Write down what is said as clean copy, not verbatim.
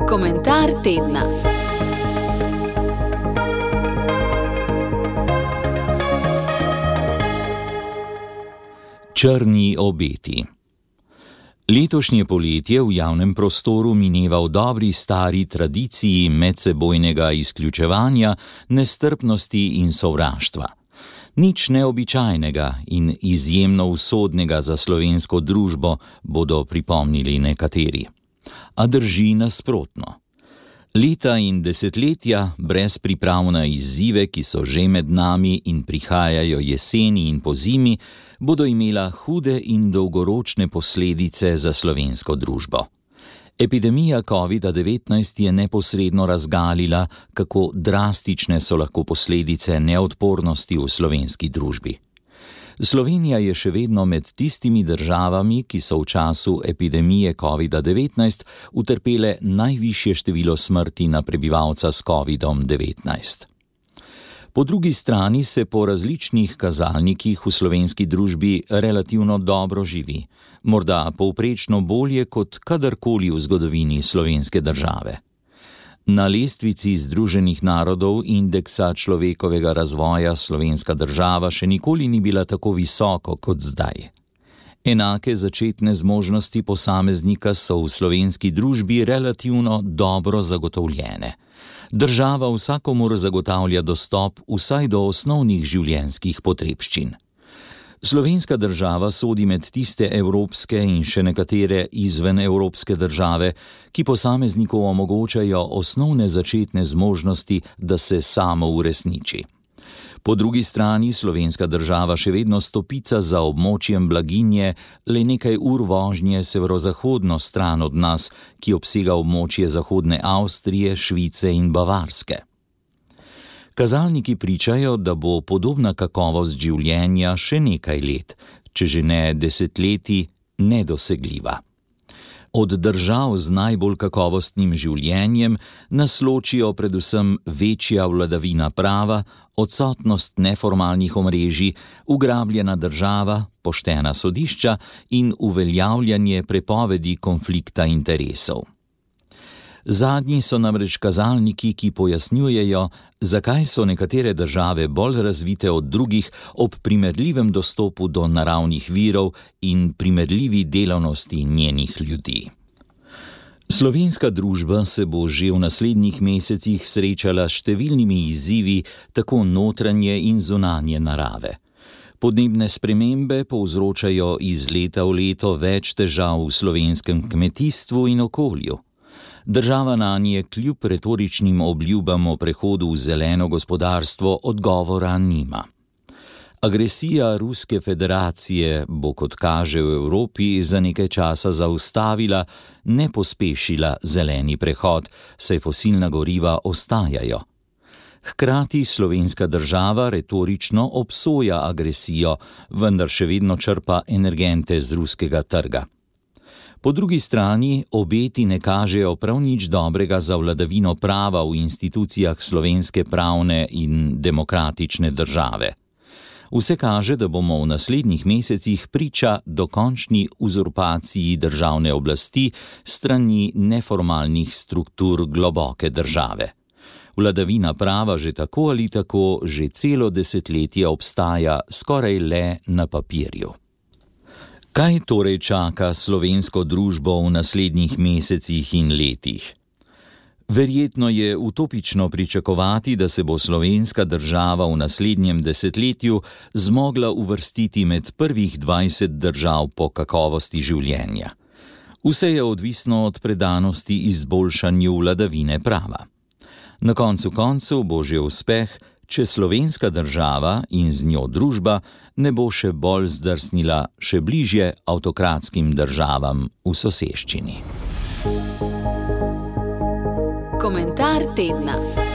Komentar tedna. Črni obeti. Letošnje poletje v javnem prostoru mineva v dobri stari tradiciji medsebojnega izključevanja, nestrpnosti in sovraštva. Nič neobičajnega in izjemno usodnega za slovensko družbo, bodo pripomnili nekateri. A drži nasprotno. Leta in desetletja brez priprav na izzive, ki so že med nami in prihajajo jeseni in pozimi, bodo imela hude in dolgoročne posledice za slovensko družbo. Epidemija COVID-19 je neposredno razgalila, kako drastične so lahko posledice neodpornosti v slovenski družbi. Slovenija je še vedno med tistimi državami, ki so v času epidemije COVID-19 utrpele najvišje število smrti na prebivalca s COVID-19. Po drugi strani se po različnih kazalnikih v slovenski družbi relativno dobro živi, morda povprečno bolje kot kadarkoli v zgodovini slovenske države. Na lestvici Združenih narodov indeksa človekovega razvoja slovenska država še nikoli ni bila tako visoko kot zdaj. Enake začetne zmožnosti posameznika so v slovenski družbi relativno dobro zagotovljene. Država vsakomur zagotavlja dostop vsaj do osnovnih življenjskih potrebščin. Slovenska država sodi med tiste evropske in še nekatere izven evropske države, ki posamezniku omogočajo osnovne začetne zmožnosti, da se samo uresniči. Po drugi strani slovenska država še vedno stopica za območjem blaginje, le nekaj ur vožnje severozahodno stran od nas, ki obsega območje zahodne Avstrije, Švice in Bavarske. Kazalniki pričajo, da bo podobna kakovost življenja še nekaj let, če že ne desetletij, nedosegljiva. Od držav z najbolj kakovostnim življenjem nas ločijo predvsem večja vladavina prava, odsotnost neformalnih omrežij, ugrabljena država, poštena sodišča in uveljavljanje prepovedi konflikta interesov. Zadnji so namreč kazalniki, ki pojasnjujejo, zakaj so nekatere države bolj razvite od drugih ob primerljivem dostopu do naravnih virov in primerljivi delavnosti njenih ljudi. Slovenska družba se bo že v naslednjih mesecih srečala s številnimi izzivi, tako notranje in zunanje narave. Podnebne spremembe povzročajo iz leta v leto več težav v slovenskem kmetijstvu in okolju. Država nanje kljub retoričnim obljubam o prehodu v zeleno gospodarstvo odgovora nima. Agresija Ruske federacije bo, kot kaže, v Evropi za nekaj časa zaustavila, ne pospešila zeleni prehod, saj fosilna goriva ostajajo. Hkrati slovenska država retorično obsoja agresijo, vendar še vedno črpa energente z ruskega trga. Po drugi strani obeti ne kažejo prav nič dobrega za vladavino prava v institucijah slovenske pravne in demokratične države. Vse kaže, da bomo v naslednjih mesecih priča dokončni uzurpaciji državne oblasti strani neformalnih struktur globoke države. Vladavina prava že tako ali tako že celo desetletje obstaja skoraj le na papirju. Kaj torej čaka slovensko družbo v naslednjih mesecih in letih? Verjetno je utopično pričakovati, da se bo slovenska država v naslednjem desetletju zmogla uvrstiti med prvih 20 držav po kakovosti življenja. Vse je odvisno od predanosti izboljšanju vladavine prava. Na koncu koncev bo že uspeh, če slovenska država in z njo družba ne bo še bolj zdrsnila še bližje avtokratskim državam v soseščini. Komentar tedna.